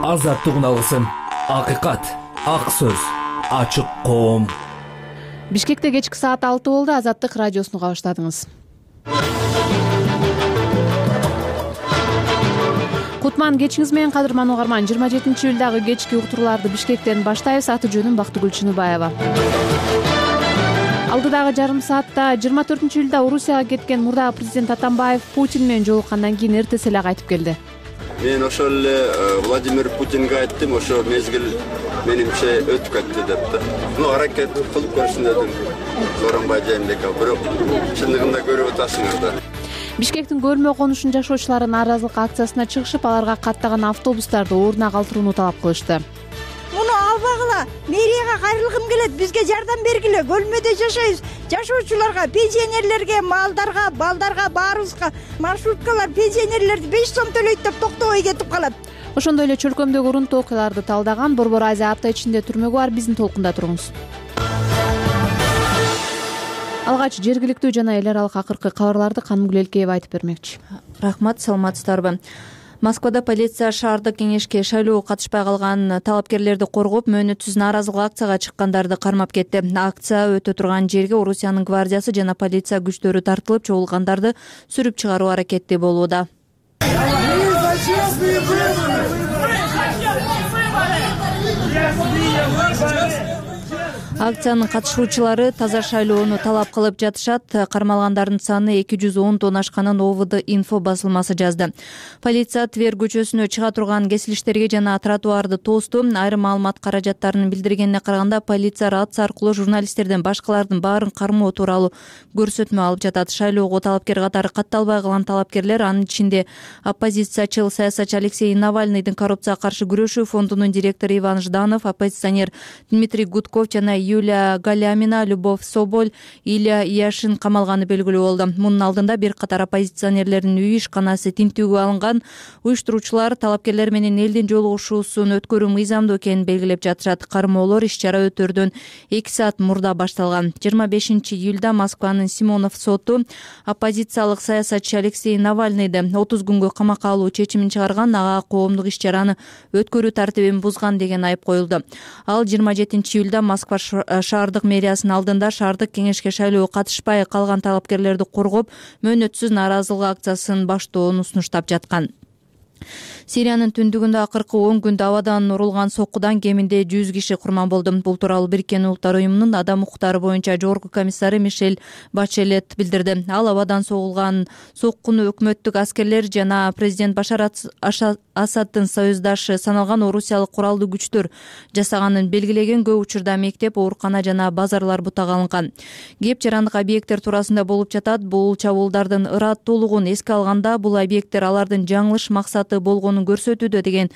азаттык уналысын, акыйкат, ак сөз, ачык коом. Бишкекте кечки саат 6 болду. Азаттык радиосуну уга баштадыңыз. Кутман кечиңиз менен кадырман угарман. 27-июлдагы кечки уктурууларды Бишкектен баштайбыз. Аты жөнүм Бактыгүл Чыныбаева. Алдыдагы жарым саатта 24-июлда Орусияга кеткен мурдагы президент Атамбаев Путин менен жолуккандан кийин эртеси эле кайтып келди. Мен ошол эле Владимир Путинге айттым, ошо мезгил менимче өтүп кетти деп да. Аракет кылып көрсүн дедим. Сооронбай Жээнбеков, бирок чындыгында көрүп атасыңар да. Бишкектин көрмө конушун жашоочулары нааразылык акциясына чыгышып, аларга каттаган автобустарды ордуна калтырууну талап кылышты. Муну албагыла, мэрияга кайрылгым келет, бизге жардам бергиле. Көлмөдө жашайбыз. Жашоочуларга, пенсионерлерге, малдарга, балдарга, баарыбызга маршруткалар пенсионерлерди 5 сом төлөйт деп токтобой кетип калат. Ошондой эле чөлкөмдөгү урунтуу окуяларды талдаган Борбор Азия апта ичинде түрмөгү бар. Биздин толкунда туруңуз. Алгач жергиликтүү жана эл аралык акыркы кабарларды Канымгүл Элкеева айтып бермекчи. Рахмат, саламатсыздарбы? Москвада полиция шаардык кеңешке шайлоого катышпай калган талапкерлерди коргоп, мөөнөтсүз нааразылык акцияга чыккандарды кармап кетти. Акция өтө турган жерге Орусиянын гвардиясы жана полиция күчтөрү тартылып, чогулгандарды сүрүп чыгаруу аракети болууда. Акциянын катышуучулары таза шайлоону талап кылып жатышат. Кармалгандардын саны 210 ашканын ОВД инфо басылмасы жазды. Полиция Твер көчөсүнө чыга турган кесилиштерге жана тротуарды тосту. Айрым маалымат каражаттарынын билдиргенине караганда, полиция рация аркылуу журналисттерден башкалардын баарын кармоо тууралуу көрсөтмө алып жатат. Шайлоого талапкер катары катталбай калган талапкерлер, анын ичинде оппозициячыл саясатчы Алексей Навальныйдын коррупцияга каршы күрөшүү фондунун директору Иван Жданов, оппозиционер Дмитрий Гудков жана Юлия Галямина, Любовь Соболь, Илья Яшин камалганы белгилүү болду. Мунун алдында бир катар оппозиционерлердин үй ишканасы тинтүүгө алынган. Уюштуруучулар талапкерлер менен элдин жолугушуусун өткөрүү мыйзамдуу экенин белгилеп жатышат. Кармоолор иш-чара өтөрдөн 2 саат мурда башталган. 25-июлда Москванын Симонов соту оппозициялык саясатчы Алексей Навальныйды 30 күнгө камакка алуу чечимин чыгарган. Ага коомдук иш-чараны өткөрүү тартибин бузган деген айып коюлду. Ал 27-июлда Москва шаардык мэриясынын алдында шаардык кеңешке шайлоого катышпай калган талапкерлерди коргоп, мөөнөтсүз нааразылык акциясын баштоону сунуштап жаткан. Сириянын түндүгүндө акыркы 10 күндө абадан урулган соккудан кеминде 100 киши курман болду. Бул тууралуу Бириккен Улуттар уюмунун адам укуктары боюнча жогорку комиссары Мишель Бачелет билдирди. Ал абадан согулган соккуну өкмөттүк аскерлер жана президент Башар Асаддын союздашы саналган орусиялык куралдуу күчтөр жасаганын белгилеген. Көп учурда мектеп, оорукана жана базарлар бутага алынган. Кеп жарандык объекттер туурасында болуп жатат. Бул чабуулдардын ыраттуулугун эске алганда, бул объекттер алардын жаңылыш максаты болгонун көрсөтүүдө деген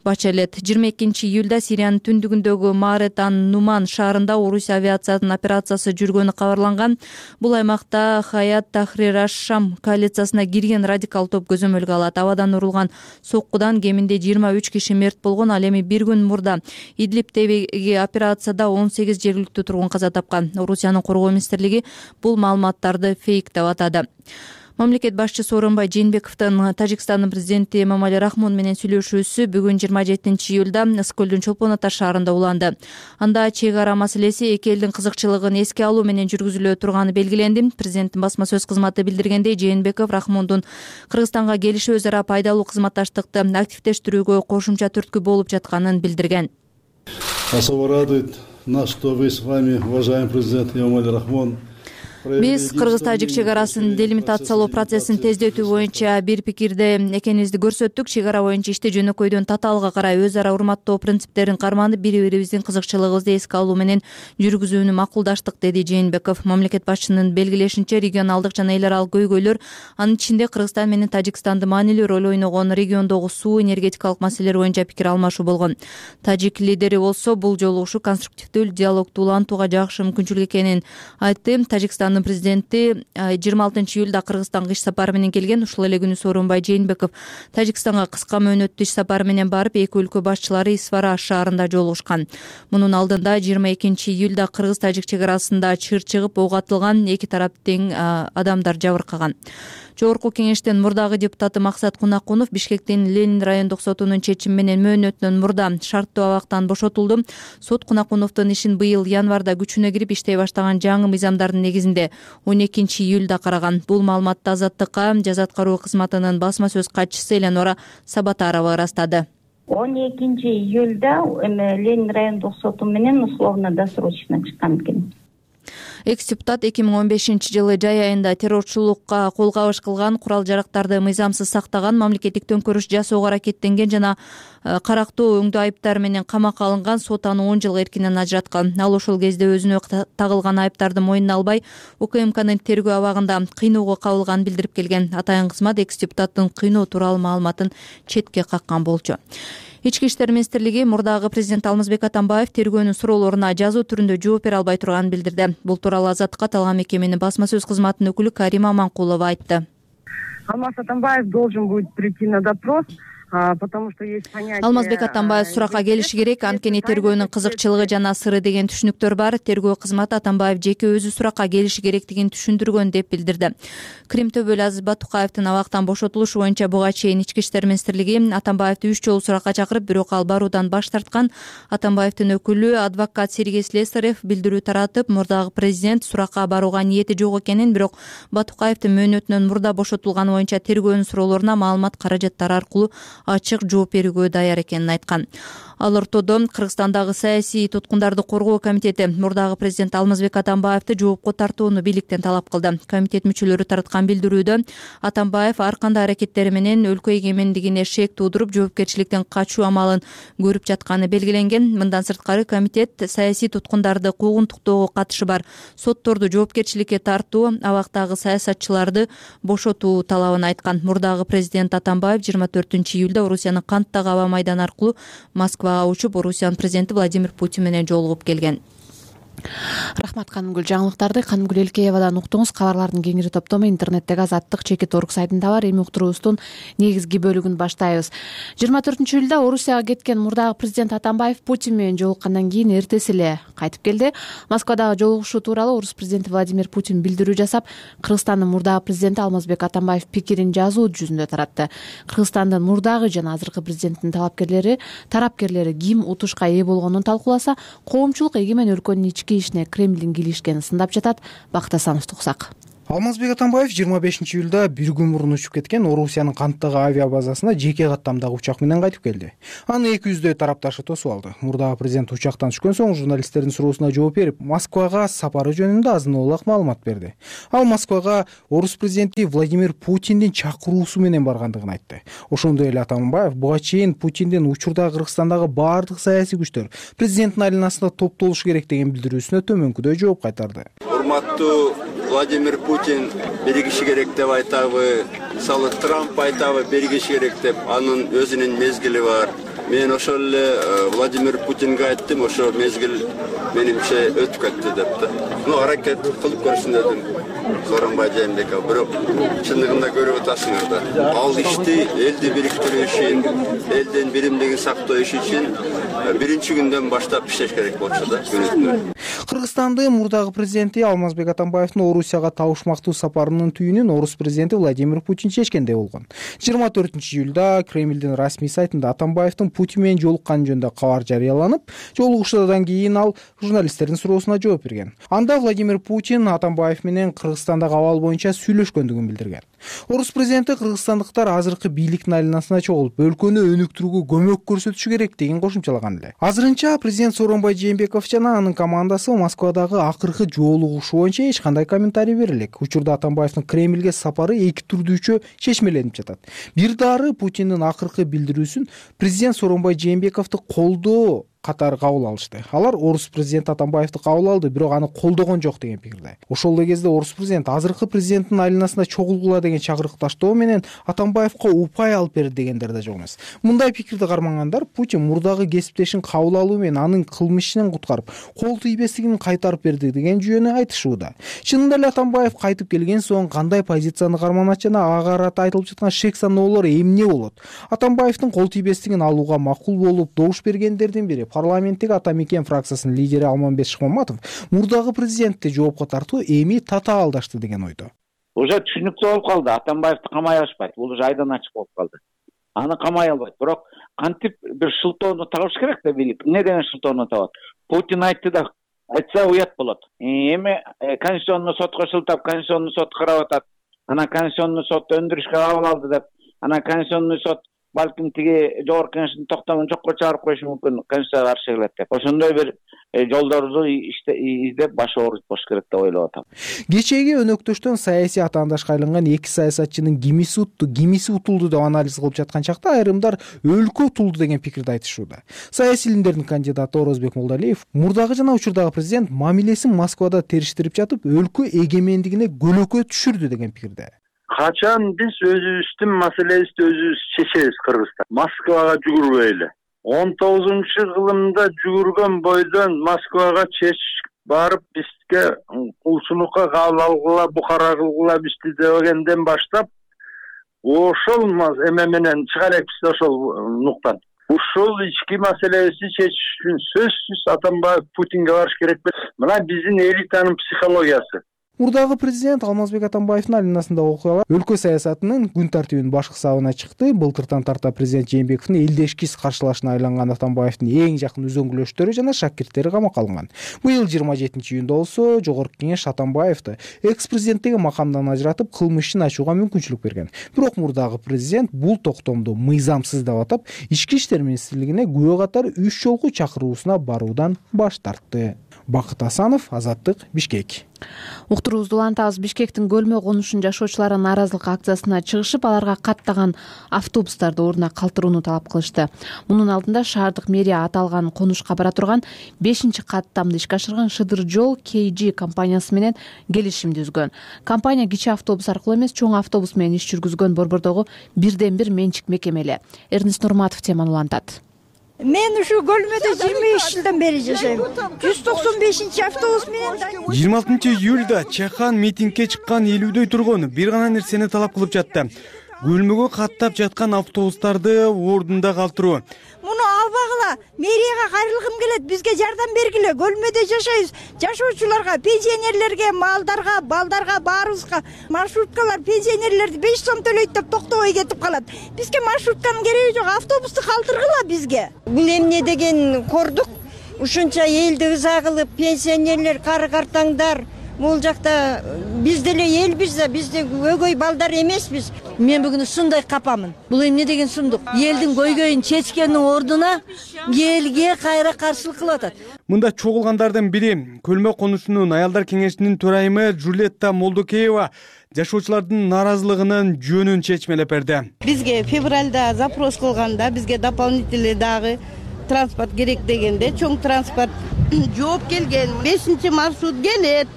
Бачелет. 22-июлда Сириянын түндүгүндөгү Марет ан-Нуман шаарында Орусия авиациянын операциясы жүргөнү кабарланган. Бул аймакта Хаят Тахрир аш-Шам коалициясына кирген радикал топ көзөмөлгө алат. Абадан урулган соккудан кеминде 23 киши мерт болгон. Ал эми бир күн мурда Идлибтеги операцияда 18 жергиликтүү тургун каза тапкан. Орусиянын коргоо министрлиги бул маалыматтарды фейк деп атады. Мамлекет башчысы Сооронбай Жээнбековдун Тажикстандын президенти Эмомали Рахмон менен сүйлөшүүсү бүгүн 27-июлда Ысыкөлдүн Чолпон Ата шаарында уланды. Анда чек ара маселеси эки элдин кызыкчылыгын эске алуу менен жүргүзүлө турганы белгиленди. Президенттин басма сөз кызматы билдиргендей, Жээнбеков Рахмондун Кыргызстанга келиши өз ара пайдалуу кызматташтыкты активдештирүүгө кошумча түрткү болуп жатканын билдирген. Особо радует нас, что вы с вами, уважаемый президент Эмомали Рахмон, Биз кыргыз-тажик чек арасын делимитациялоо процессин тездетүү боюнча бир пикирде экенибизди көрсөттүк. Чек ара боюнча ишти жөнөкөйдөн татаалга карай өз ара урматтоо принциптерин карманып, бири-бирибиздин кызыкчылыгыбызды эске алуу менен жүргүзүүнү макулдаштык, деди Жээнбеков. Мамлекет башчынын белгилешинче, регионалдык жана эл аралык көйгөйлөр, анын ичинде Кыргызстан менен Тажикстандын маанилүү роль ойногон региондогу суу, энергетикалык маселелер боюнча пикир алмашуу болгон. Тажик лидери болсо бул жолугушуу конструктивдүү диалогду улантууга жакшы мүмкүнчүлүк экенин айтты. Тажикстандын президенти 26-июлда Кыргызстанга иш сапары менен келген. Ушул эле күнү Сооронбай Жээнбеков Тажикстанга кыска мөөнөттүү иш сапары менен барып, эки өлкө башчылары Исфара шаарында жолугушкан. Мунун алдында 22-июлда кыргыз-тажик чек арасында чыр чыгып, ок атылган, эки тарап тең адамдар жабыркаган. Жогорку кеңештин мурдагы депутаты Максат Кунакунов Бишкектин Ленин райондук сотунун чечими менен мөөнөтүнөн мурда шарттуу абактан бошотулду. Сот Кунакуновдун ишин быйыл январда күчүнө кирип иштей баштаган жаңы мыйзамдардын негизинде 12 июлда караган. Бул маалыматты Азаттыкка жаза аткаруу кызматынын басма сөз катчысы Эленора Сабатарова ырастады. 12 июлда Ленин райондук соту менен условно-досрочно чыккан экен. Экс-депутат 2015-жылы жай айында террорчулукка кол кабыш кылган, курал-жарактарды мыйзамсыз сактаган, мамлекеттик төңкөрүш жасоого аракеттенген жана карактуу өңдүү айыптар менен камакка алынган, сот аны 10 жыл эркинен ажыраткан. Ал ошол кезде өзүнө тагылган айыптарды мойнуна албай, УКМКнын тергөө абагында кыйноого кабылганын билдирип келген. Атайын кызмат экс-депутаттын кыйноо тууралуу маалыматын четке каккан болчу. Ички иштер министрлиги мурдагы президент Алмазбек Атамбаев тергөөнүн суроолоруна жазуу түрүндө жооп бере албай турганын билдирди. Бул тууралуу Азаттыкка аталган мекеменин басма сөз кызматынын өкүлү Карима Аманкулова айтты. Алмаз Атамбаев должен будет прийти на допрос. Потому что есть понятие. Алмазбек Атамбаев суракка келиши керек, анткени тергөөнүн кызыкчылыгы жана сыры деген түшүнүктөр бар. Тергөө кызматы Атамбаев жеке өзү суракка келиши керектигин түшүндүргөн деп билдирди. Крим төбөлү Азиз Батукаевдин абактан бошотулушу боюнча буга чейин Ички иштер министрлиги Атамбаевди 3 жолу суракка чакырып, бирок ал баруудан баш тарткан. Атамбаевдин өкүлү адвокат Сергей Слесарев билдирүү таратып, мурдагы президент суракка барууга ниети жок экенин, бирок Батукаевдин мөөнөтүнөн мурда бошотулганы боюнча тергөөнүн суроолоруна маалымат каражаттары аркылуу ачык жооп берүүгө даяр экенин айткан. Ал ортодо Кыргызстандагы саясий туткундарды коргоо комитети мурдагы президент Алмазбек Атамбаевди жоопко тартууну бийликтен талап кылды. Комитет мүчөлөрү тараткан билдирүүдө Атамбаев ар кандай аракеттери менен өлкө эгемендигине шек туудуруп, жоопкерчиликтен качуу амалын көрүп жатканы белгиленген. Мындан сырткары комитет саясий туткундарды куугунтуктоого катышы бар сотторду жоопкерчиликке тартуу, абактагы саясатчыларды бошотуу талабын айткан. Мурдагы президент Атамбаев 24-июлда Орусиянын Канттагы аба майданы аркылуу Москвага учуп, Орусиянын президенти Владимир Путин менен жолугуп келген. Рахмат Канымгүл. Жаңылыктарды Канымгүл Элкеевадан уктуңуз. Кабарлардын кеңири топтому интернеттеги Азаттык.org сайтында бар. Эми уктуруубуздун негизги бөлүгүн баштайбыз. 24-июлда Орусияга кеткен мурдагы президент Атамбаев Путин менен жолуккандан кийин эртеси эле кайтып келди. Москвадагы жолугушуу тууралуу Орус президенти Владимир Путин билдирүү жасап, Кыргызстандын мурдагы президенти Алмазбек Атамбаев пикирин жазуу жүзүндө таратты. Кыргызстандын мурдагы жана азыркы президентинин тарапкерлери ким утушка ээ болгонун талкууласа, коомчулук эгемен өлкөнүн ички ишине Кремлдин киришкенин сындап жатат. Бактасановду уксак. Алмазбек Атамбаев 25-июлда бир күн мурун учуп кеткен Орусиянын Канттагы авиабазасына жеке каттамдагы учак менен кайтып келди. Аны 200дөй тарапташы тосуп алды. Мурдагы президент учактан түшкөн соң журналисттердин суроосуна жооп берип, Москвага сапары жөнүндө азын-аулак маалымат берди. Ал Москвага орус президенти Владимир Путиндин чакыруусу менен баргандыгын айтты. Ошондой эле Атамбаев буга чейин Путиндин учурда Кыргызстандагы баардык саясий күчтөр президенттин айланасында топтолушу керек деген билдирүүсүнө төмөнкүдөй жооп кайтарды. Урматтуу Владимир Путин биригиши керек деп айтабы, мисалы Трамп айтабы биригиши керек деп, анын өзүнүн мезгили бар. Мен ошол эле Владимир Путинге айттым, ошо мезгил менимче өтүп кетти деп да. Аракет кылып көрсүн дедим Сооронбай Жээнбеков, бирок чындыгында көрүп атасыңар да. Ал ишти элди бириктирүү үчүн, элдин биримдигин сактоо иши үчүн биринчи күндөн баштап иштеш керек болчу да. Кыргызстандын мурдагы президенти Алмазбек Атамбаевдин Орусияга табышмактуу сапарынын түйүнүн орус президенти Владимир Путин чечкендей болгон. 24-июлда Кремлдин расмий сайтында Атамбаевдин Путин менен жолукканы жөнүндө кабар жарыяланып, жолугушуудан кийин ал журналисттердин суроосуна жооп берген. Анда Владимир Путин Атамбаев менен Кыргызстандагы абал боюнча сүйлөшкөндүгүн билдирген. Орус президенти кыргызстандыктар азыркы бийликтин айланасына чогулуп, өлкөнү өнүктүрүүгө көмөк көрсөтүшү керек деген кошумчалаган эле. Азырынча президент Сооронбай Жээнбеков жана анын командасы Москвадагы акыркы жолугушуу боюнча эч кандай комментарий бере элек. Учурда Атамбаевдин Кремлге сапары эки түрдүүчө чечмеленип жатат. Бир дары Путиндин акыркы билдирүүсүн президент Сооронбай Жээнбековду колдоо катары кабыл алышты. Алар орус президенти Атамбаевди кабыл алды, бирок аны колдогон жок деген пикирде. Ошол эле кезде орус президент азыркы президенттин айланасына чогулгула деген чакырыкташтоо менен Атамбаевга упай алып берди дегендер да жок эмес. Мындай пикирди кармагандар Путин мурдагы кесиптешин кабыл алуу менен анын кылмышынан куткарып, кол тийбестигин кайтарып берди деген жүйөнү айтышууда. Чынында эле Атамбаев кайтып келген соң кандай позицияны карманат жана ага карата айтылып жаткан шек саноолор эмне болот? Атамбаевдин кол тийбестигин алууга макул болуп добуш бергендердин бири парламенттеги Ата Мекен фракциясынын лидери Алмамбет Шыкмаматов мурдагы президентти жоопко тартуу эми татаалдашты деген ойдо. Уже түшүнүктүү болуп калды. Атамбаевди камай алышпайт. Бул уже айдан ачык болуп калды. Аны камай албайт. Бирок кантип бир шылтоону табыш керек да билип. Эмне деген шылтоону табат? Путин айтты да айтса уят болот. Эми Конституционный сотко шылтап, Конституционный сот карап атат. Анан Конституционный сот өндүрүшкө кабыл алды деп, анан Конституционный сот балким тиги жогорку кеңештин токтомун жокко чыгарып коюшу мүмкүн, Конституцияга каршы келет деп. Ошондой бир жолдорду издеп баш оорутуп коюш керек деп ойлоп атам. Кечээги өнөктөштөн саясий атаандашка айланган эки саясатчынын кимиси утту, кимиси утулду деп анализ кылып жаткан чакта айрымдар өлкө утулду деген пикирди айтышууда. Саясий илимдердин кандидаты Орозбек Молдалиев мурдагы жана учурдагы президент мамилесин Москвада териштирип жатып, өлкө эгемендигине көлөкө түшүрдү деген пикирде. Качан биз өзүбүздүн маселебизди өзүбүз чечебиз Кыргызстан. Москвага жүгүрбөйлү. 19-кылымда жүгүргөн бойдон Москвага барып бизге кулчулукка кабыл алгыла, букара кылгыла бизди дегенден баштап ошол эме менен чыга элекпиз да ошол нуктан. Ушул ички маселебизди чечиш үчүн сөзсүз Атамбаев Путинге барыш керек. Мына биздин элитанын психологиясы. Мурдагы президент Алмазбек Атамбаевдин алинасындагы окуялар өлкө саясатынын күн тартибинин башкы сабына чыкты. Былтыртан тарта президент Жээнбековдун элдешкиз каршылашына айланган Атамбаевдин эң жакын үзөңгүлөштөрү жана шакирттери камакка алынган. Быйыл 27-июнда болсо Жогорку кеңеш Атамбаевди экс-президенттиги макамдан ажыратып, кылмыш ишин ачууга мүмкүнчүлүк берген. Бирок мурдагы президент бул токтомду мыйзамсыз деп атап, Ички иштер министрлигине күбө катары 3 жолку чакыруусуна баруудан баш тартты. Бакыт Асанов, Азаттык, Бишкек. Уктуруубузду улантабыз. Бишкектин Көлмө конушунун жашоочулары нааразылык акциясына чыгышып, аларга каттаган автобустарды ордуна калтырууну талап кылышты. Мунун алдында шаардык мэрия аталган конушка бара турган 5-каттамды ишке ашырган Шыдыр жол KG компаниясы менен келишимди түзгөн. Компания кичи автобус аркылуу эмес, чоң автобус менен иш жүргүзгөн Борбордогу бирден-бир менчик мекемели. Эрнест Нурматов теманы улантат. Мен ушу Көлмөдө 23 жылдан бери жашайм. 195-автобус менен 26-июлда Чахан митингге чыккан элүүдөй тургун бир гана нерсени талап кылып жатты. Көлмөгө каттап жаткан автобустарды ордунда калтыруу. Муну албагыла, мэрияга кайрылгым келет, бизге жардам бергиле. Көлмөдө жашайбыз. Жашоочуларга, пенсионерлерге, малдарга, балдарга, баарыбызга маршруткалар пенсионерлерди 5 сом төлөйт деп токтобой кетип калат. Бизге маршрутканын кереги жок, автобусту калтыргыла бизге. Бул эмне деген кордук? Ушунча элди ыза кылып, пенсионерлер, кары картаңдар бул жакта биз деле элбиз да, биз өгөй балдар эмеспиз. Мен бүгүн ушундай капамын. Бул эмне деген сундук? Элдин көйгөйүн чечкендин ордуна элге кайра каршылык кылып атат. Мында чогулгандардын бири Көлмө конушунун аялдар кеңешинин төрайымы Жулетта Молдокеева жашоочулардын нааразылыгынын жөнүн чечмелеп берди. Бизге февралда запрос кылганда бизге дополнительный дагы транспорт керек дегенде чоң транспорт жооп келген. 5-маршрут келет.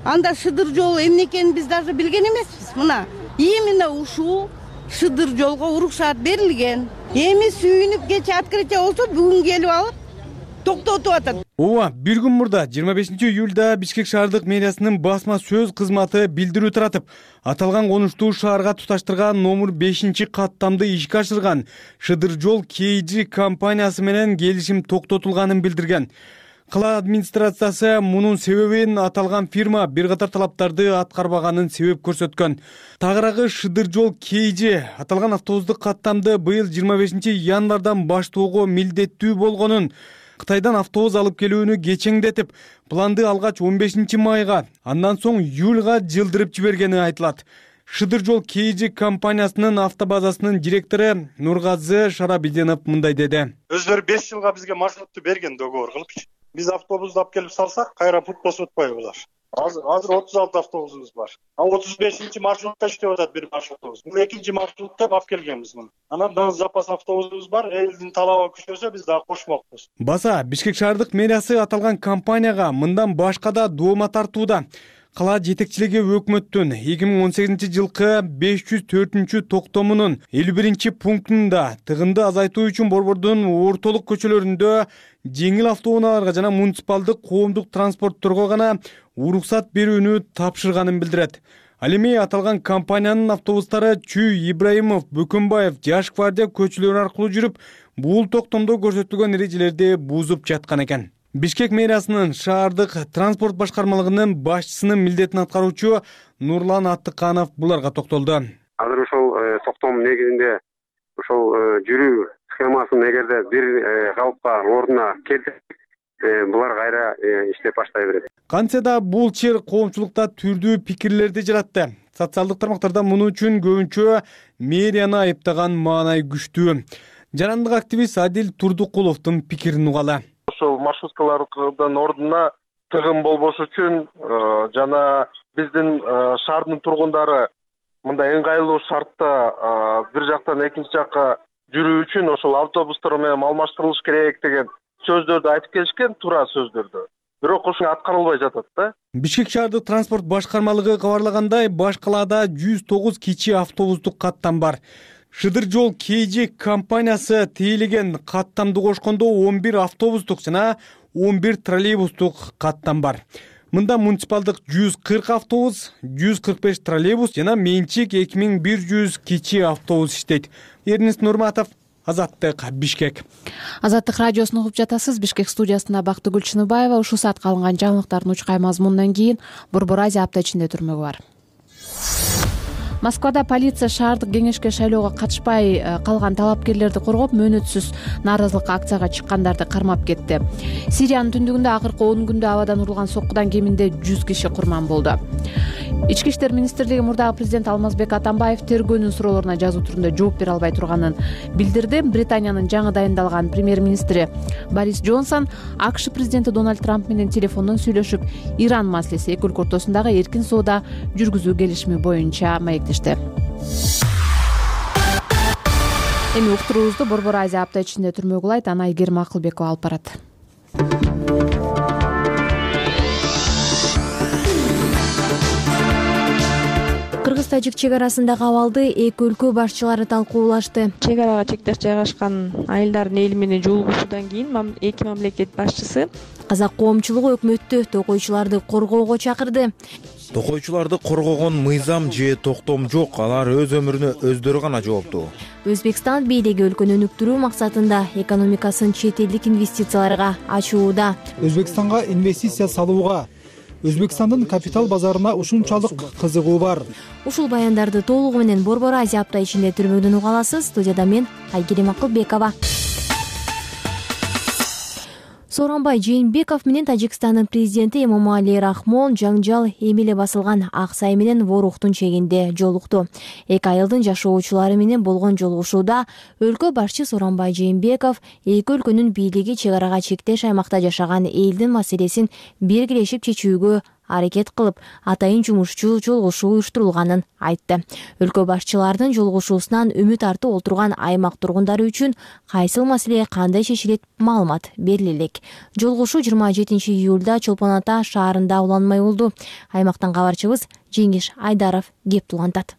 Анда Шыдыр жолу эмне экенин биз даже билген эмеспиз. Мына именно ушул Шыдыр жолго уруксаат берилген. Эми сүйүнүп кече открытие болсо бүгүн келип алып токтотуп атат. Ооба, бир күн мурда 25-июлда Бишкек шаардык мэриясынын басма сөз кызматы билдирүү таратып, аталган конушту шаарга туташтырган номер 5-каттамды ишке ашырган Шыдыр жол KG компаниясы менен келишим токтотулганын билдирген. Кала администрациясы мунун себебин аталган фирма бир катар талаптарды аткарбаганын себеп көрсөткөн. Тагыраагы Шыдыр жол KG аталган автобустук каттамды быйыл 25-январдан баштоого милдеттүү болгонун, Кытайдан автобус алып келүүнү кечеңдетип, планды алгач 15-майга, андан соң июлга жылдырып жибергени айтылат. Шыдыр жол KG компаниясынын автобазасынын директору Нургазы Шарабиденов мындай деди. Өздөрү 5 жылга бизге маршрутту берген договор кылып. Биз автобусту алып келип салсак, кайра путь босуп атпайбы булар. Азыр 36 автобусубуз бар. 35-маршрутта иштеп атат бир маршрутубуз. Бул 2-маршрутта алып келгенбиз муну. Анан дагы запас автобусубуз бар. Элдин талабы күчөсө биз дагы кошмокпуз. Баса Бишкек шаардык мэриясы аталган компанияга мындан башка да доома тартууда. Кала жетекчилиги өкмөттүн 2018-жылкы 504 токтомунун 51-пунктунда тыгынды азайтуу үчүн Борбордун ортолук көчөлөрүндө жеңил автоунааларга жана муниципалдык коомдук транспортторго гана уруксат берүүнү тапшырганын билдирет. Ал эми аталган компаниянын автобустары Чүй, Ибраимов, Бөкөнбаев, Жаш гвардия көчөлөрү аркылуу жүрүп, бул токтомдо көрсөтүлгөн эрежелерди бузуп жаткан экен. Бишкек мэриясынын шаардык транспорт башкармалыгынын башчысынын милдетин аткаруучу Нурлан Аттыканов буларга токтолду. Азыр ошол токтом негизинде ошол жүрүү схемасын эгерде бир калыпка ордуна келтирсек, булар кайра иштеп баштай берет. Кантсе да бул чыр коомчулукта түрдүү пикирлерди жаратты. Социалдык тармактарда муну үчүн көбүнчө мэрияны айыптаган маанай күчтүү. Жарандык активист Адил Турдукуловдун пикирин угалы. Ошол маршруткалардын ордуна тыгын болбош үчүн жана биздин шаардын тургундары мындай ыңгайлуу шартта бир жактан экинчи жакка жүрүү үчүн ошол автобустар менен алмаштырылыш керек деген сөздөрдү айтып келишкен, туура сөздөрдү. Бирок ошо аткарылбай жатат да. Бишкек шаардык транспорт башкармалыгы кабарлагандай, баш калаада 109 кичи автобустук каттам бар. Шыдыр жол KG компаниясы тейлеген каттамды кошкондо 11 автобустук жана 11 троллейбустук каттам бар. Мында муниципалдык 140 автобус, 145 троллейбус жана менчик 2100 кичи автобус иштейт. Эрнест Нурматов, Азаттык, Бишкек. Азаттык радиосун угуп жатасыз. Бишкек студиясында Бактыгүл Чыныбаева. Ушул саатка алынган жаңылыктардын учкай мазмунунан кийин Борбор Азия апта ичинде түрмөгү бар. Москвада полиция шаардык кеңешке шайлоого катышпай калган талапкерлерди коргоп, мөөнөтсүз нааразылык акцияга чыккандарды кармап кетти. Сириянын түндүгүндө акыркы 10 күндө абадан урулган соккудан кеминде 100 киши курман болду. Ички иштер министрлиги мурдагы президент Алмазбек Атамбаев тергөөнүн суроолоруна жазуу түрүндө жооп бере албай турганын билдирди. Британиянын жаңы дайындалган премьер-министри Борис Джонсон АКШ президенти Дональд Трамп менен телефондон сүйлөшүп, Иран маселеси эки өлкө ортосундагы эркин соода жүргүзүү келишими боюнча маектешти. Эми уктуруубузду Борбор Азия апта ичинде түрмөгү улайт. Аны Айгерим Акылбекова алып барат. Кыргыз-тажик чек арасындагы абалды эки өлкө башчылары талкуулашты. Чек арага чектеш жайгашкан айылдардын эли менен жолугушуудан кийин эки мамлекет башчысы казак коомчулугу өкмөттү токойчуларды коргоого чакырды. Токойчуларды коргогон мыйзам же токтом жок, алар өз өмүрүнө өздөрү гана жооптуу. Өзбекстан бийлиги өлкөнү өнүктүрүү максатында экономикасын чет элдик инвестицияларга ачууда. Өзбекстанга инвестиция салууга, Өзбекстандын капитал базарына ушунчалык кызыгуу бар. Ушул баяндарды толугу менен Борбор Азия апта ичинде түрмөгдөн уга аласыз. Студияда мен Айгерим Акылбекова. Сооронбай Жээнбеков менен Тажикстандын президенти Эмомали Рахмон жаңжал эми эле басылган Ак Сай менен Воруктун чегинде жолукту. Эки айылдын жашоочулары менен болгон жолугушууда өлкө башчы Сооронбай Жээнбеков эки өлкөнүн бийлиги чек арага чектеш аймакта жашаган элдин маселесин биргелешип чечүүгө аракет кылып, атайын жумушчу жолугушуу уюштурулганын айтты. Өлкө башчылардын жолугушуусунан үмүт артып отурган аймак тургундары үчүн кайсыл маселе кандай чечилет маалымат бериле элек. Жолугушуу 27 июлда Чолпон Ата шаарында уланмай болду. Аймактан кабарчыбыз Жеңиш Айдаров кеп улантат.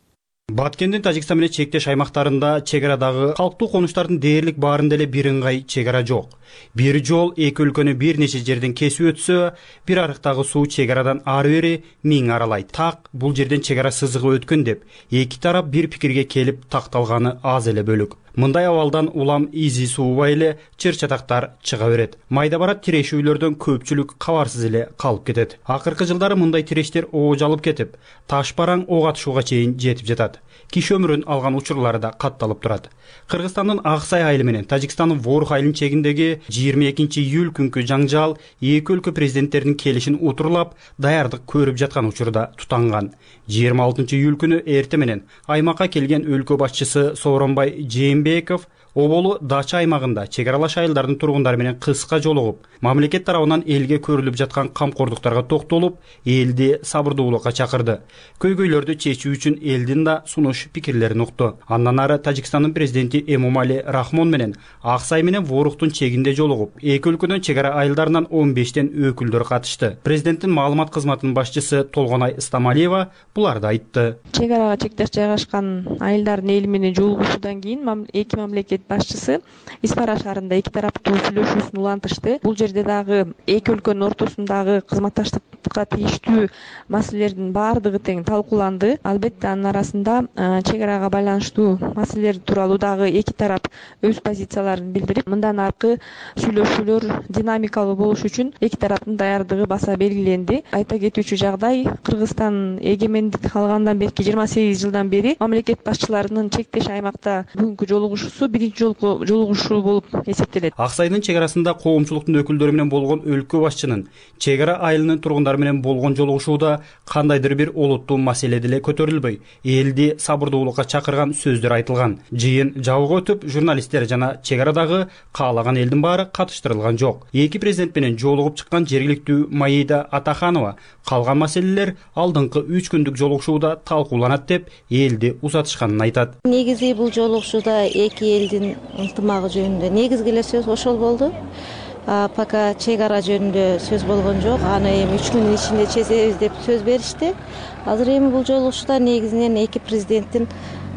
Баткендин Тажикстан менен чектеш аймактарында чек арадагы калктуу конуштардын дээрлик баарында эле бир ыңгай чек ара жок. Бир жол эки өлкөнү бир нече жерден кесип өтсө, бир арыктагы суу чек арадан ары бери 1000 аралайт. Так бул жерден чек ара сызыгы өткөн деп эки тарап бир пикирге келип такталганы аз эле бөлүк. Мындай абалдан улам изи суубай эле чыр-чатактар чыга берет. Майда барат тирешүүлөрдөн көпчүлүк кабарсыз эле калып кетет. Акыркы жылдары мындай тирештер оожалып кетип, таш бараң ок атышууга чейин жетип жатат. Киши өмүрүн алган учурлары да катталып турат. Кыргызстандын Ак Сай айылы менен Тажикстандын Ворух айылынын чегиндеги 22 июль күнкү жаңжал эки өлкө президенттеринин келишин утурлап, даярдык көрүп жаткан учурда тутанган. 26 июль күнү эрте менен аймакка келген өлкө башчысы Сооронбай Жээнбеков Оболу Дача аймагында чек аралаш айылдардын тургундары менен кыска жолугуп, мамлекет тарабынан элге көрүлүп жаткан камкордуктарга токтолуп, элди сабырдуулукка чакырды. Көйгөйлөрдү чечүү үчүн элдин да сунуш пикирлерин укту. Андан ары Тажикстандын президенти Эмомали Рахмон менен Ак Сай менен Воруктун чегинде жолугуп, эки өлкөнүн чек ара айылдарынан 15тен өкүлдөр катышты. Президенттин маалымат кызматынын башчысы Толгонай Стамалиева буларды айтты. Чек арага чектеш жайгашкан айылдардын эли менен жолугушуудан кийин эки мамлекет мамлекет башчысы Исфара шаарында эки тараптуу сүйлөшүүсүн улантышты. Бул жерде дагы эки өлкөнүн ортосундагы кызматташтыкка тийиштүү маселелердин баардыгы тең талкууланды. Албетте анын арасында чек арага байланыштуу маселелер тууралуу дагы эки тарап өз позицияларын билдирип, мындан аркы сүйлөшүүлөр динамикалуу болуш үчүн эки тараптын даярдыгы баса белгиленди. Айта кетүүчү жагдай, Кыргызстан эгемендик алгандан берки 28 жылдан бери мамлекет башчыларынын чектеш аймакта бүгүнкү жолугушуусу биринчи жолку жолугушуу болуп эсептелет. Ак Сайдын чек арасында коомчулуктун өкүлдөрү менен болгон өлкө башчынын чек ара айылынын тургундары менен болгон жолугушууда кандайдыр бир олуттуу маселе деле көтөрүлбөй, элди сабырдуулукка чакырган сөздөр айтылган. Жыйын жабык өтүп, журналисттер жана чек арадагы каалаган элдин баары катыштырылган жок. Эки президент менен жолугуп чыккан жергиликтүү Маида Атаханова калган маселелер алдыңкы 3 күндүк жолугушууда талкууланат деп элди узатышканын айтат. Негизи бул жолугушууда эки элдин ынтымагы жөнүндө негизги эле сөз ошол болду. Пока чек ара жөнүндө сөз болгон жок. Аны эми 3 күндүн ичинде чечебиз деп сөз беришти. Азыр эми бул жолугушууда негизинен эки президенттин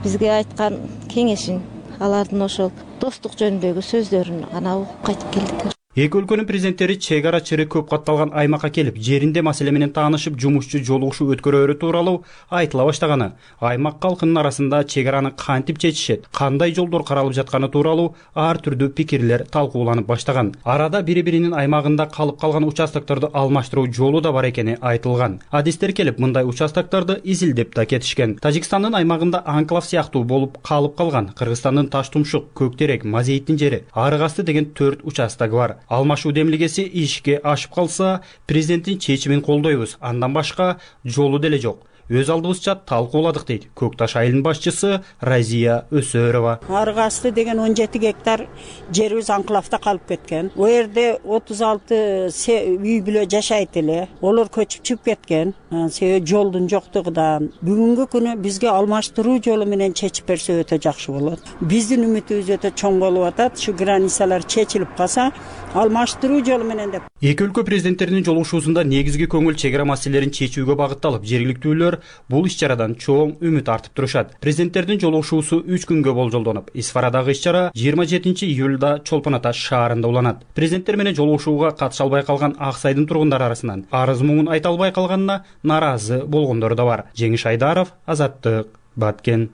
бизге айткан кеңешин, алардын ошол достук жөнүндөгү сөздөрүн гана угуп кайтып келдик. Эки өлкөнүн президенттери чек ара чыры көп катталган аймакка келип, жеринде маселе менен таанышып, жумушчу жолугушуу өткөрөөрү тууралуу айтыла баштаганы, аймак калкынын арасында чек араны кантип чечишет, кандай жолдор каралып жатканы тууралуу ар түрдүү пикирлер талкууланып баштаган. Арада бири-биринин аймагында калып калган участокторду алмаштыруу жолу да бар экени айтылган. Адистер келип, мындай участокторду изилдеп да кетишкен. Тажикстандын аймагында анклав сыяктуу болуп калып калган Кыргызстандын Таштумшук, Көктерек, Мазейиттин жери, Арык-Асты деген 4 участок бар. Алмашуу демилгеси ишке ашып калса, президенттин чечимин колдойбуз, андан башка жолу деле жок. Өз алдыбызча талкууладык дейт Көк Таш айылынын башчысы Разия Өсөрова. Арык-Асты деген 17 гектар жерибиз анклавда калып кеткен. О жерде 36 үй бүлө жашайт эле. Олар көчүп чыгып кеткен. Себеби жолдун жоктугунан. Бүгүнкү күнү бизге алмаштыруу жолу менен чечип берсе өтө жакшы болот. Биздин үмүтүбүз өтө чоң болуп атат. Ушу границалар чечилип калса, алмаштыруу жолу менен деп. Эки өлкө президенттеринин жолугушуусунда негизги көңүл чек ара маселелерин чечүүгө багытталып, жергиликтүүлөр бул иш-чарадан чоң үмүт артып турушат. Президенттердин жолугушуусу 3 күнгө болжолдонуп, Исфарадагы иш-чара 27 июлда Чолпон Ата шаарында уланат. Президенттер менен жолугушууга катыша албай калган Ак Сайдын тургундары арасынан арыз муңун айта албай калганына наразы болгондор да бар. Жеңиш Айдаров, Азаттык, Баткен.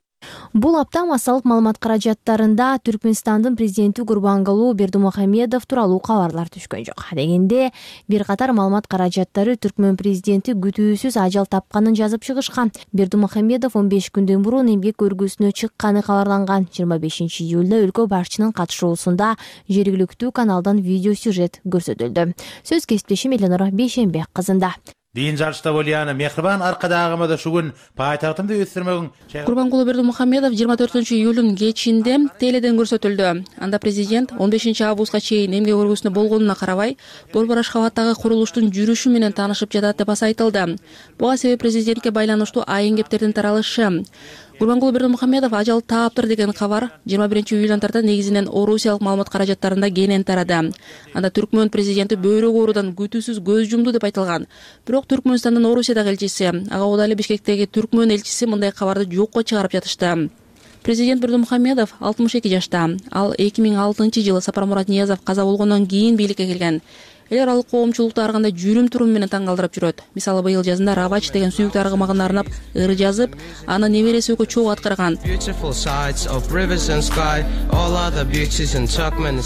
Бул апта массалык маалымат каражаттарында Түркмөнстандын президенти Гурбангулы Бердимухамедов тууралуу кабарлар түшкөн жок. Дегенде бир катар маалымат каражаттары Түркмөн президенти күтүүсүз ажал тапканын жазып чыгышкан. Бердимухамедов 15 күндөн мурун эмгек өргүсүнө чыкканы кабарланган. 25 июлда өлкө башчынын катышуусунда жергиликтүү каналдан видео сюжет көрсөтүлдү. Сөз кесиптешим Эленора Бейшенбек кызында. Дин жарышта болияны мехрибан аркадагымада шугун пайтактымды өстүрмөгүн. Гурбангулы Бердимухамедов 24 июлдун кечинде теледен көрсөтүлдү. Анда президент 15 августка чейин эмгек өргүсүндө болгонуна карабай, Борбор Ашхабадтагы курулуштун жүрүшү менен таанышып жатат деп айтылды. Буга себеп президентке байланыштуу айын кептердин таралышы. Гурбангулы Бердимухамедов ажал тааптыр деген кабар 21 июлдан тарта негизинен орусиялык маалымат каражаттарында кенен тарады. Анда Түркмөн президенти бөйрөк оорудан күтүүсүз көз жумду деп айтылган. Бирок Түркмөнстандын Орусиядагы элчиси, ага Удали Бишкектеги Түркмөн элчиси мындай кабарды жокко чыгарып жатышты. Президент Бердимухамедов 62 жашта. Ал 2006-жылы Сапармурат Ниязов каза болгондон кийин бийликке келген. Эл аралык коомчулукту ар кандай жүрүм-турум менен таң калтырып жүрөт. Мисалы, быйыл жазында Равач деген сүйүктүү аргымагына арнап ыр жазып, аны небереси Өкө чогуу аткарган.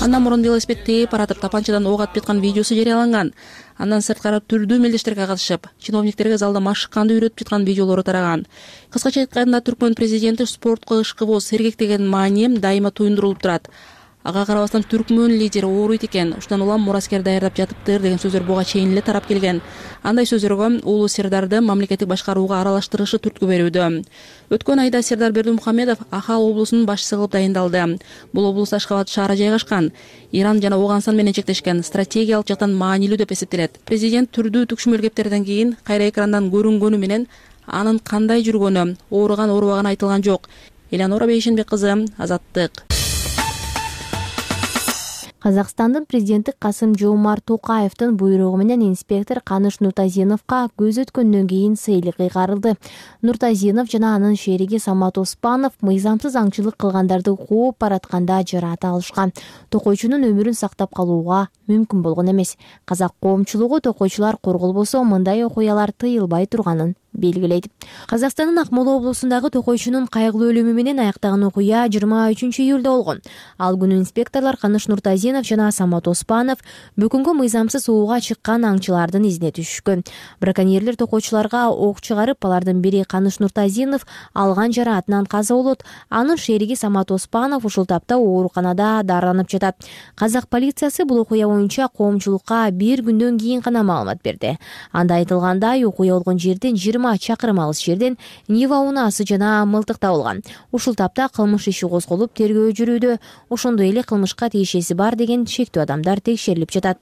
Андан мурун велосипед тээп баратып, тапанчадан ок атып жаткан видеосу жарыяланган. Андан сырткары түрдүү мелдештерге катышып, чиновниктерге залда машыкканды үйрөтүп жаткан видеолору тараган. Кыскача айтканда, Түркмөн президенти спортко ышкыбоо, сергек деген маани дайыма туюндурулуп турат. Ага карабастан Түркмөн лидери ооруйт экен, ушундан улам мураскер даярдап жатыптыр деген сөздөр буга чейин эле тарап келген. Андай сөздөргө Улуу Сердарды мамлекеттик башкарууга аралаштырышы түрткү берүүдө. Өткөн айда Сердар Бердимухамедов Ахал облусунун башчысы кылып дайындалды. Бул облус Ашхабад шаары жайгашкан. Иран жана Ооганстан менен чектешкен, стратегиялык жактан маанилүү деп эсептелет. Президент түрдүү түкшүмөл кептерден кийин кайра экрандан көрүнгөнү менен анын кандай жүргөнү, ооруган оорубаган айтылган жок. Эленора Бейшенбек кызы, Азаттык. Казакстандын президенти Касым-Жомарт Токаевдин буйругу менен инспектор Каныш Нуртазиновго көз өткөндөн кийин сыйлык кыйгарылды. Нуртазинов жана анын шериги Самат Оспанов мыйзамсыз аңчылык кылгандарды кууп баратканда жараат алышкан. Токойчунун өмүрүн сактап калууга мүмкүн болгон эмес. Казак коомчулугу токойчулар корголбосо мындай окуялар тыйылбай турганын белгилейт. Казакстандын Акмола облусундагы токойчунун кайгылуу өлүмү менен аяктаган окуя 23-июлда болгон. Ал күнү инспекторлор Каныш Нуртазинов жана Самат Оспанов бөкөнгө мыйзамсыз ууга чыккан аңчылардын изине түшүшкөн. Браконьерлер токойчуларга ок чыгарып, алардын бири Каныш Нуртазинов алган жараатынан каза болот. Анын шериги Самат Оспанов ушул тапта ооруканада дарыланып жатат. Казак полициясы бул окуя боюнча коомчулукка бир күндөн кийин гана маалымат берди. Анда айтылгандай, окуя болгон жерден 20 чакырым алыс жерден Нива унаасы жана мылтык табылган. Ушул тапта кылмыш иши козголуп, тергөө жүрүүдө. Ошондой эле кылмышка тиешеси бар деген шектүү адамдар текшерилип жатат.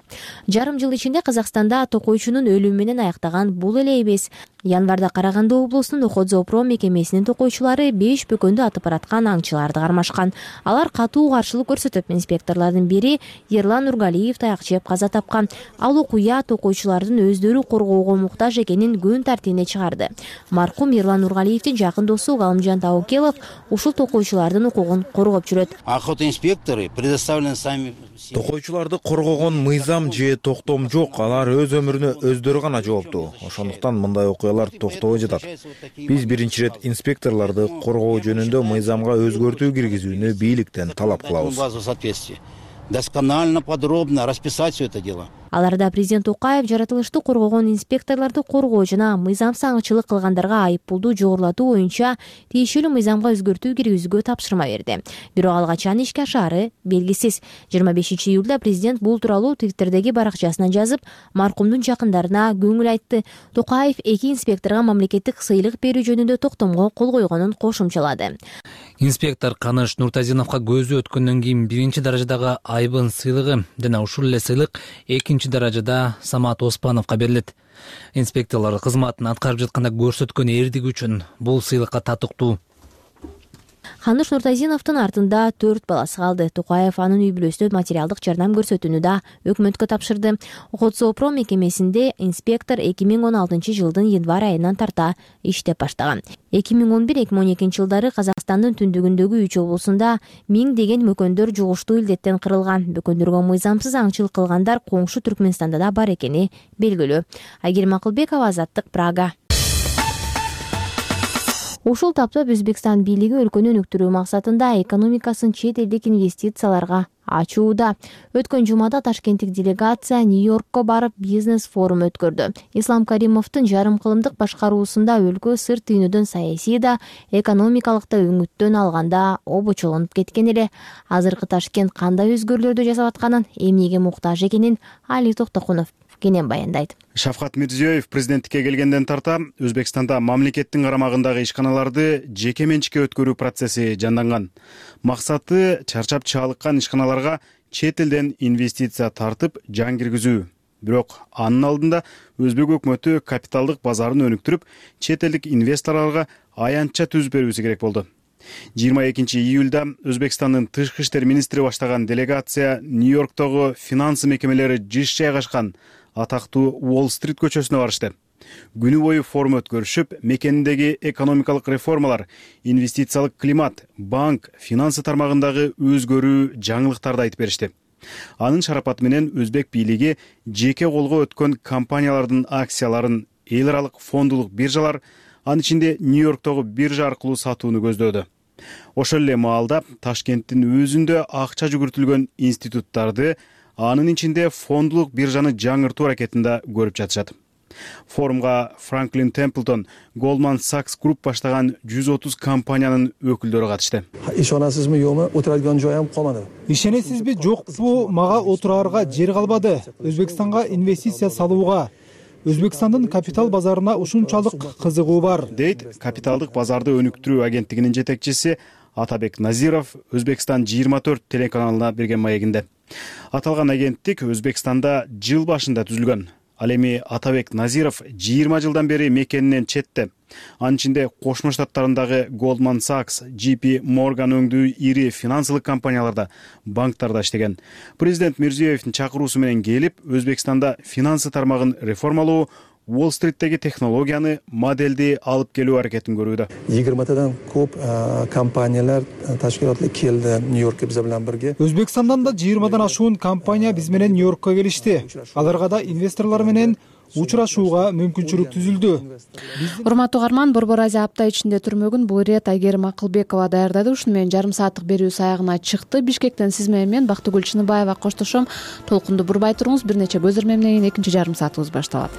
Жарым жыл ичинде Казакстанда токойчунун өлүмү менен аяктаган бул эле эмес. Январда Караганды облусунун Охотзоопром мекемесинин токойчулары 5 бөкөндү атып бараткан аңчыларды кармашкан. Алар катуу каршылык көрсөтүп, инспекторлордун бири Ерлан Нургалиев таяк жеп каза тапкан. Ал окуя токойчулардын өздөрү коргоого муктаж экенин күн тартибине чыгарды. Маркум Ерлан Нургалиевдин жакын досу Галымжан Таукелов ушул токойчулардын укугун коргоп жүрөт. Охотинспекторы предоставлены сами. Токойчуларды коргогон мыйзам же токтом жок, алар өз өмүрүнө өздөрү гана жооптуу. Ошондуктан мындай окуялар токтобой жатат. Биз биринчи ирет инспекторлорду коргоо жөнүндө мыйзамга өзгөртүү киргизүүнү бийликтен талап кылабыз. Досконально, подробно расписать все это дело. Аларда президент Токаев жаратылышты коргогон инспекторлорду коргоо жана мыйзамсыз аңчылык кылгандарга айыппулду жогорулатуу боюнча тиешелүү мыйзамга өзгөртүү киргизүүгө тапшырма берди. Бирок ал качан ишке ашаары белгисиз. 25-июлда президент бул тууралуу Твиттердеги баракчасына жазып, маркумдун жакындарына көңүл айтты. Токаев эки инспекторго мамлекеттик сыйлык берүү жөнүндө токтомго кол койгонун кошумчалады. Инспектор Каныш Нуртазиновго көзү өткөндөн кийин биринчи даражадагы айбын сыйлыгы жана ушул эле сыйлык экинчи даражада Самат Оспановго берилет. Инспекторлор кызматын аткарып жатканда көрсөткөн эрдиги үчүн бул сыйлыкка татыктуу. Каныш Нуртазиновдун артында 4 баласы калды. Токаев анын үй бүлөсүнө материалдык жардам көрсөтүүнү да өкмөткө тапшырды. Охотзоопром мекемесинде инспектор 2016 жылдын январь айынан тарта иштеп баштаган. 2011-2012 жылдары Казакстандын түндүгүндөгү 3 облусунда 1000 деген мөкөндөр жугуштуу илдеттен кырылган. Бөкөндөргө мыйзамсыз аңчылык кылгандар коңшу Түркмөнстанда да бар экени белгилүү. Айгерим Акылбекова, Азаттык, Прага. Ушул тапта Өзбекстан бийлиги өлкөнү өнүктүрүү максатында экономикасын чет элдик инвестицияларга ачууда. Өткөн жумада ташкенттик делегация Нью-Йоркко барып бизнес форум өткөрдү. Ислам Каримовдун жарым кылымдык башкаруусунда өлкө сырт дүйнөдөн саясий да, экономикалык да өңүттөн алганда обочолонуп кеткен эле. Азыркы Ташкент кандай өзгөрүүлөрдү жасап атканын, эмнеге муктаж экенин Али Токтокунов кенен баяндайт. Шавкат Мирзиёев президенттикке келгенден тарта Өзбекстанда мамлекеттин карамагындагы ишканаларды жеке менчикке өткөрүү процесси жанданган. Максаты чарчап чалыккан ишканаларга чет элден инвестиция тартып жан киргизүү. Бирок анын алдында Өзбек өкмөтү капиталдык базарын өнүктүрүп, чет элдик инвесторлорго аянтча түзүп берүүсү керек болду. 22-июлда Өзбекстандын тышкы иштер министри баштаган делегация Нью-Йорктогу финансы мекемелери жыш жайгашкан атактуу Уолл-стрит көчөсүнө барышты. Күнү бою форум өткөрүшүп, мекендеги экономикалык реформалар, инвестициялык климат, банк, финансы тармагындагы өзгөрүү жаңылыктарды айтып беришти. Анын шарапаты менен Өзбек бийлиги жеке колго өткөн компаниялардын акцияларын эл аралык фондулук биржалар, анын ичинде Нью-Йорктогу биржа аркылуу сатууну көздөөдү. Ошол эле маалда Ташкенттин өзүндө акча жүгүртүлгөн институттарды, анын ичинде фондулук биржаны жаңыртуу аракетинде көрүп жатышат. Форумга Франклин Темплтон, Goldman Sachs Group баштаган 130 компаниянын өкүлдөрү катышты. Ишенасызбы, жокпу? Отурган жоям калмады. Ишенесизби, жокпу? Мага отураарга жер калбады. Өзбекстанга инвестиция салууга, Өзбекстандын капитал базарына ушунчалык кызыгуу бар, дейт капиталдык базарды өнүктүрүү агенттигинин жетекчиси Атабек Назиров Өзбекстан 24 телеканалына берген маегинде. Аталган агенттик Өзбекстанда жыл башында түзүлгөн. Ал эми Атабек Назиров 20 жылдан бери мекенинен четте. Анын ичинде Кошмо Штаттарындагы Goldman Sachs, JP Morgan өңдүү ири финансылык компанияларда, банктарда иштеген. Президент Мирзиёевдин чакыруусу менен келип, Өзбекстанда финансы тармагын реформалоо, Уолл-стриттеги технологияны, моделди алып келүү аракетин көрүүдө. 20тадан көп компаниялар, ташкилотлар келди Нью-Йоркко биз менен бирге. Өзбекстандан да 20дан ашуун компания биз менен Нью-Йоркко келишти. Аларга да инвесторлор менен учурашууга мүмкүнчүлүк түзүлдү. Урматтуу угарман, Борбор Азия апта ичинде түрмөгүн бул ирет Айгерим Акылбекова даярдады. Ушуну менен жарым сааттык берүүбүз аягына чыкты. Бишкектен сиз менен мен Бактыгүл Чыныбаева коштошом. Толкунду бурбай туруңуз. Бир нече көзөрмөмдөн кийин экинчи жарым саатыбыз башталат.